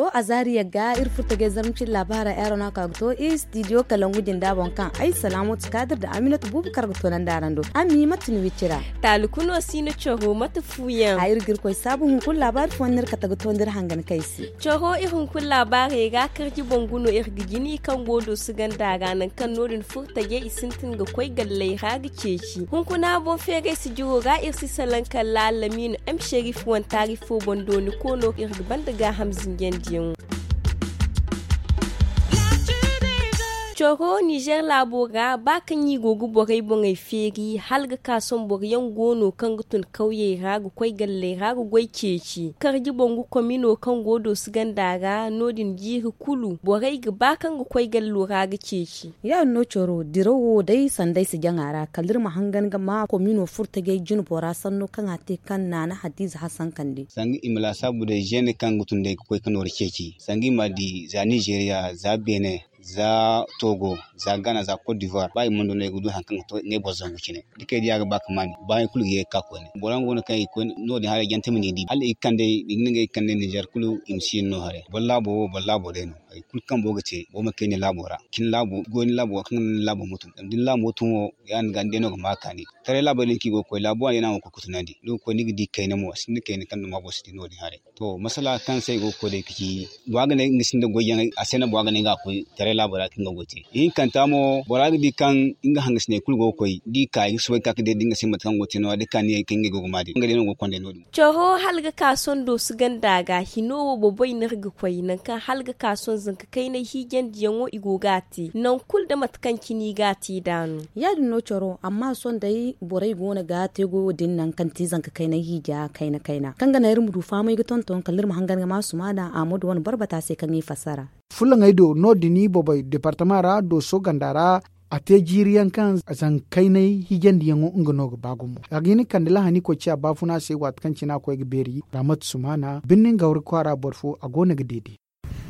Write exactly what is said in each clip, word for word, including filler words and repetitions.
To, azaariya ga iri furtajey zarma cine laabaara, aero no a ka ga to iri studio kalangu jinda boŋ kaŋ ay salaamatu kaadir nda aminatu buubu kar ga toonandi araŋ do. Ami mate ni wicira? Taali kuno si no coro mate fuuyaŋ a iri ga iri koy saabu hunkuna laabaari fooyaŋ no iri kate ga toonandi iri hangan kay se. Coro iri hunkuna laabaarey ra karji boŋ guno iri ga jini kaŋ go doosu ganda ra nangu kaŋ no- din furtajey i sintin ga koy galley ra ga ceeci hunkuna boŋ feeray sijiro ra iri si salaŋ kala lamiinu m sherif wantaari fo boŋ dooni koono iri ga banda gaaham zinjandiyaŋo. Coro nizer laabo ra ba kaŋ i go ga borey boŋey feeri hala ga ka sohõ boro yaŋ go no kaŋ ga tun kawyey ra ga koy galley ra ga goy ceeci karji boŋ ga komino kaŋ go doosu ganda ra no- din jiiri kulu borey ga ba kaŋ ga koy gallo ra ga ceeci. Ya- din no coro dirawo day sanday si jaŋ a ra kala iri ma hangan ga ma komino furtajey jinbora sanno kaŋ a te kaŋ naana hadiize hasankandi. Sanga i ma laasaabu day zeene kaŋ ga tun day ga koy ka nooru ceeci sanga i ma a di za nizeeriya za beene za togo za gana za kot divoire ba i mana du no i ga du hari kaŋ ga to ngey boro zangu cine da kay diya ga ba ka maani baayaŋ kulu ga ye ga ka koyne boro yaŋ go no kaŋ i ga koy no- din haray jante ma ni di hala i ga kande i ga ni ga i ga kande nizer kulu i ma si yaŋ no haray boro laabo wo boro laabo day no. Hari kulu kaŋ boro ga te boro ma kay ni laabo ra cin laabo goy ni laabo kaŋ ga naŋ ni laabo ma tun zama da ni laabo tun wo ya- din ga ni day no ga ma kaani taray laabey din kaŋ i go ga koy laabo wane day no a go ga koy ga tunandi ni ga koy ni ga di kayna mo a sinda kayna kaŋ duma boro si di no- din haray. To masala kaŋ se ay go ga koy day ga ci bora ga ne nga sinda goyyaŋey a se no bora ga ne nga a koy taray laabo ra ka nga goy te ihinkanta mo bora ga di kaŋ nga hangasiney kulu go ga koy da i ka i ga soobay ga ka ga deeda nga se mate kaŋ go ga te no- ya da kaaniyey kaŋ ngey go ga ma din nga day no go ga konda no- din. Coro hala ga ka sohõ doosu ganda ga hino wo boboy no iri ga koy nangu kaŋ hala ga ka sohõ zanka kaynay hiijandiyaŋo i go ga a te nangu kulu nda mate kaŋ cine i ga a te nd'a no. Ya- din no coro amma sohõ day borey go no ga te goyo din nangu kaŋ ti zanka kaynay hiija kayna kayna kaŋ ga naŋ iri ma du fahamay ga tonton kala iri ma hangan ga ma sumaana aamadu wane boro bata se kaŋ i fassara. Fullaŋey do no- din i bobey departama ra dooso ganda ra a te jiiri yaŋ kaŋ zanka kaynay hiijandiyaŋo nga no ga ba gumo a ga hin ga kande lahani koy ciya baafuna se waati kaŋ cine a koy ga beeri raamatu sumaana birni nga wari kwaara boro fo a go no ga deede.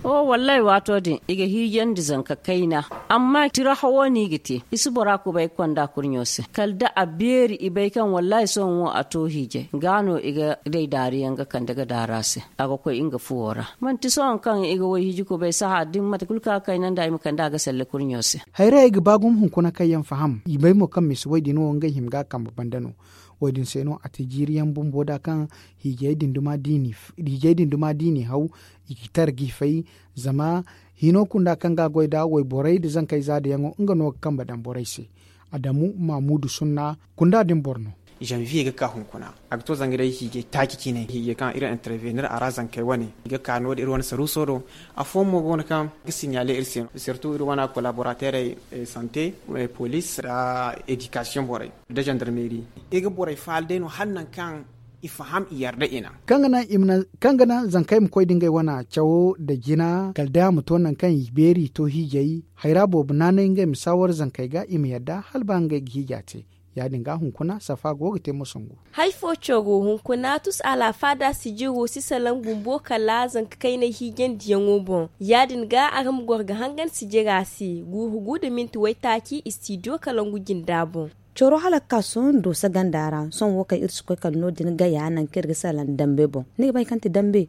Wallaahi waato din i ga hiijandi zanka kayna amma tira hawo no i ga te i si bora kubay ga konda kurɲo se kala da a beeri i bay kaŋ wallaahi sohõ wo a to hiijay ga no i ga day daari yaŋ ga kande ga daari a se a ga koy nga fuwo ra. Manti sohõ kaŋ i ga way hiji kubay saha da ni mate kulu kaŋ a kayna nda i ma kande a ga salle kurɲo se. Hayray ay ga ba gumo hunkuna kaŋ yaŋ faham i bay mo kaŋ misi way din wo ngey hima ga a kambe banda no. Wo- din se no a te jiiri yaŋ bumbo da kaŋ hiijay din duma da i n'i haw i ga tara ga i fay. Zama hino kunda kaŋ ga a goy da wayborey nda zankey zaadayaŋo nga no ga kambe daŋ borey se. Adamu mamudu sunna kunda din boro no. Zanviye ga ka hunkuna a ga to zanga day hiijay taaci cine hiijay kaŋ iri intervenir a ra zankey wane i ga ka no- din iri wane saruuso do. Afooyaŋ mo go no kaŋ ga siɲaale iri se no sirtu iri wane kolaborateerey sante, polis nda edikasiyoŋ borey nda zandarmeeri. I ga borey faala day no hala nangu kaŋ i faham i yarda i naŋ. Kaŋ ga naŋ zankey ma koy nda ngey wane cawo nda jina kala day a ma to nangu kaŋ i beeri i to hiijay hayra boobo naanay ngey ma saawar zankey ga i ma yadda hala ba ngey ga hiija te. Ya- din ga hunkuna safa go ga te moso ngu. Hari fo coro hunkuna tus alaafaada sijiro si salaŋ bumbo kala zanka kaynay hiijandiyaŋo boŋ. Ya- din ga araŋ ma goro ga hangan sijira se guuru gu nda minti waytaaci istidiyo kalangu jinda boŋ. Coro hala ga ka sohõ dooso ganda ra sohõ wo kaŋ iri si koy kala no- din gaya nangu kaŋ iri ga salaŋ dambe boŋ ni ga bay kaŋ ti dambe?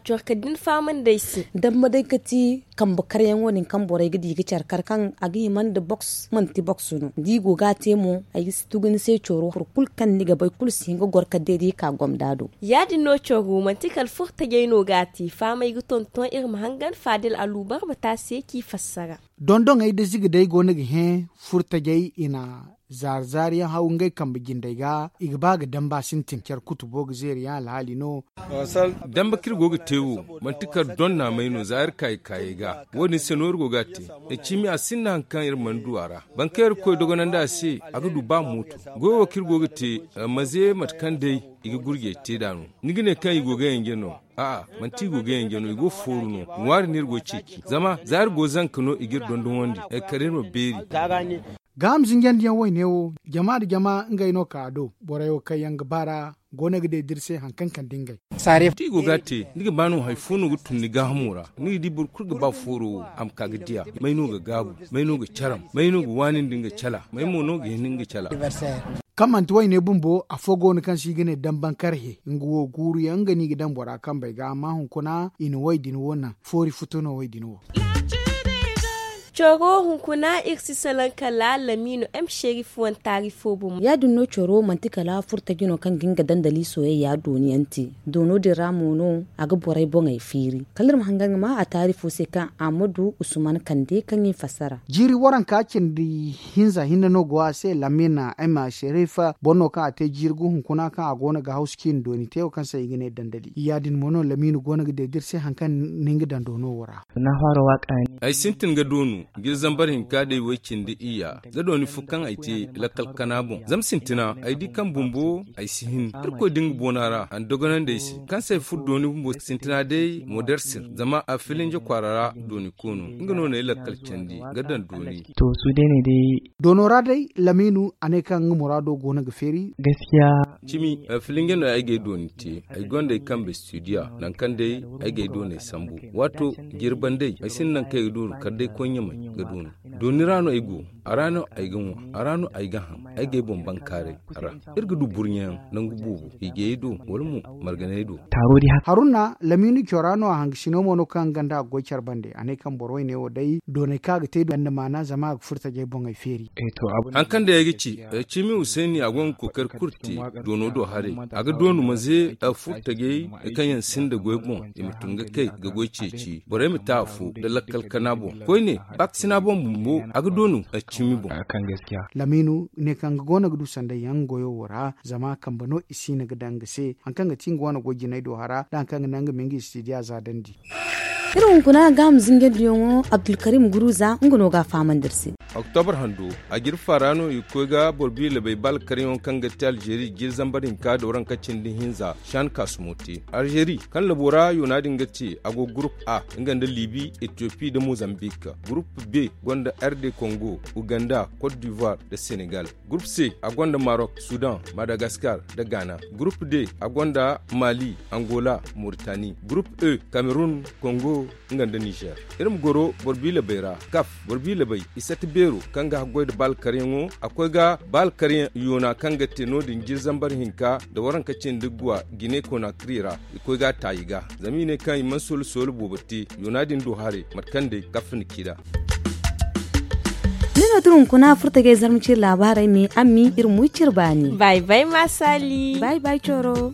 Coro kala da ni fahamandi ay se. Dambe day ga ti kambe karyaŋo din kaŋ borey ga di ga care kar kaŋ a ga hima nda boks manti boks no da i go ga a te mo ay ga si tugu ni se coro hari kulu kaŋ ni ga bay kulu si hin ga goro kala day da i ka gomda do. Ya- din no coro manti kala furo tajay no ga a te fahamay ga tonton iri ma hangan faadil aluubar bata se kaŋ i fassara. Dondoŋey nda ziga day go no ga hẽ furo tajay i na zaari zaari yaŋ haw ngey kambe jindey ga i ga ba ga damba sintin care kutubo ga zeeri yaŋ alhaali no. Dambe kaŋ iri go ga te wo manti kala donna may no za iri kaayi kaayey ga. Wo- din se no iri go ga a te. Ay ciimi a sinda hari kaŋ iri mana du a ra boro kaŋ iri ga koy dogonandi a se a ga du ba mooto. Goyo wo kaŋ iri go ga te maze mate kaŋ day i ga gurjey te nd'a no. Ni ga ne kaŋ i go ga yanje no? A'a, manti i go ga yanje no i go ga fooru no. Ŋwaari no iri go ga ceeci zama za iri go zanka no i ga iri dondonwandi kala iri ma beeri. Gaaham zinjandiyaŋ wayne wo jama nda jama ngey no ka a do. Borey wo kaŋ yaŋ ga baar'a go no ga deeda iri se hari kaŋ kande ngey. Da i go ga a te ni ga ba no hari fo no ga tun ni gaahamo ra. Ni ga di boro kulu ga ba fooro wo a ma ka ga di a may no ga gaabu, may no ga caram, may no ga waani nda nga cala, may mo no ga hin nga cala. Kaŋ manti wayne bumbo afo go no kaŋ se i ga ne damban karhe nga wo guuru yaŋ nga no i ga daŋ bora kambey ga amma hunkuna i na way din wo naŋ foori futo no way din wo. Coro hunkuna iri si salaŋ kala lamiino m sherif wane taari fo bomo. Ya- din no coro manti kala furtaji no kaŋ ga hin ga dandali soyayya dooni yaŋ te. Doono din ra mo no a ga borey boŋey feeri kala iri ma hangan ga ma a taari fo se kaŋ a ma du usman kande kaŋ i fassara. Jiiri waranka cindi hinza hinne no go a se lamina ema sherifa boro no kaŋ a te jiiri gu hunkuna kaŋ a go no ga hawsu ciine dooni te wo kaŋ se i ga ne dandali ya- din mo no lamina go no ga deeda iri se hari kaŋ ni ga daŋ doono wo ra. Ay sintin ga doonu jiiri zambar hinka day way cindi iyya ga dooni fo kaŋ ay te lakkal kana boŋ zama sintina ay di kaŋ bumbo ay si hin irkoy da nga boona ra a na dogonandi ay se kaŋ se ay furo dooni bumbo sintina day modersir zama a filinje kwaara ra dooni koono nga no na ay lakkal candi ga daŋ dooni. Doono ra day lamiinu a ne kaŋ nga muraado go no ga feeri. Cimi filinje no ay ga ay dooni te ay gonda ay kambe studiya nangu kaŋ day ay ga ay dooney sambu waato jirban day ay sinda nangu kaŋ ay ga dooru kala day koy ɲamay ga doonu. Dooni ra no ay go a ra no ay ga ŋwa a ra no ay ga haŋ ay ga ay boŋ bankaaray ra. Iri ga du burɲayaŋ nangu boobo hiijayey do wala mo marganey do. Haruna lamiinu cora no a hangasino mo no kaŋ nga nda a ga goy care bande a ne kaŋ boro wayne wo day doonay kaŋ a ga te du ganda maana zama a ga furo tajey boŋey feeri. Hari kaŋ day ay ga ci cimi usayni a go ga kookari kulu te doono do haray a ga doonu maze furo tajey kaŋ yaŋ sinda goy boŋ i ma tun ga kay ga goy ceeci borey ma te afo nda lakkal kana boŋ koyne baakasina boŋ bumbo a ga doonu cimi boŋ. Lamiinu ne kaŋ nga go no ga du sanda yaŋ goyo wo ra zama kambe no i si no ga daŋ nga se hari kaŋ ga ti nga wane goy jinay do hara nda hari kaŋ ga naŋ nga ma nga istidiya za dandi. Iri hunkuna ga a ma zinjandi yaŋo abdulkarim guruza nga no ga a fahamandi iri se. Oktobar hando a jirfa ra no i ga koy ga boro biila bay baala karyaŋo kaŋ ga te alzeeri jiiri zambar hinka da waranka cindi hinza shan kasumo te alzeeri kaŋ labo ra yoona din ga te a go gurup a nga nda libi etiyopi nda mozambik. Gurup b gonda r d kongo uganda cote d'ivoire nda senegal. Gurup c a gonda marok sudan madagaskar nda ghana. Gurup d a gonda mali angola moritani. Gurup e kamerun kongo nga nda nizer. Iri ma goro boro biila bay ra kaf boro biila bay i sati beero kaŋ ga haggoy nda baala karyaŋo a koy ga baala karyaŋ yoona kaŋ ga te no- din jiiri zambar hinka nda waranka cindi guwa jine konakri ra. I koy ga a taayi ga zama i ne kaŋ i mana soolu soolu boobo te yoona din do haray mate kaŋ day kaf na ci nd'a. Ni no tun hunkuna furtajey zarma cire laabaarey me ammi iri ma wi cire baani. Bay bay ma saali. Bay bay coro.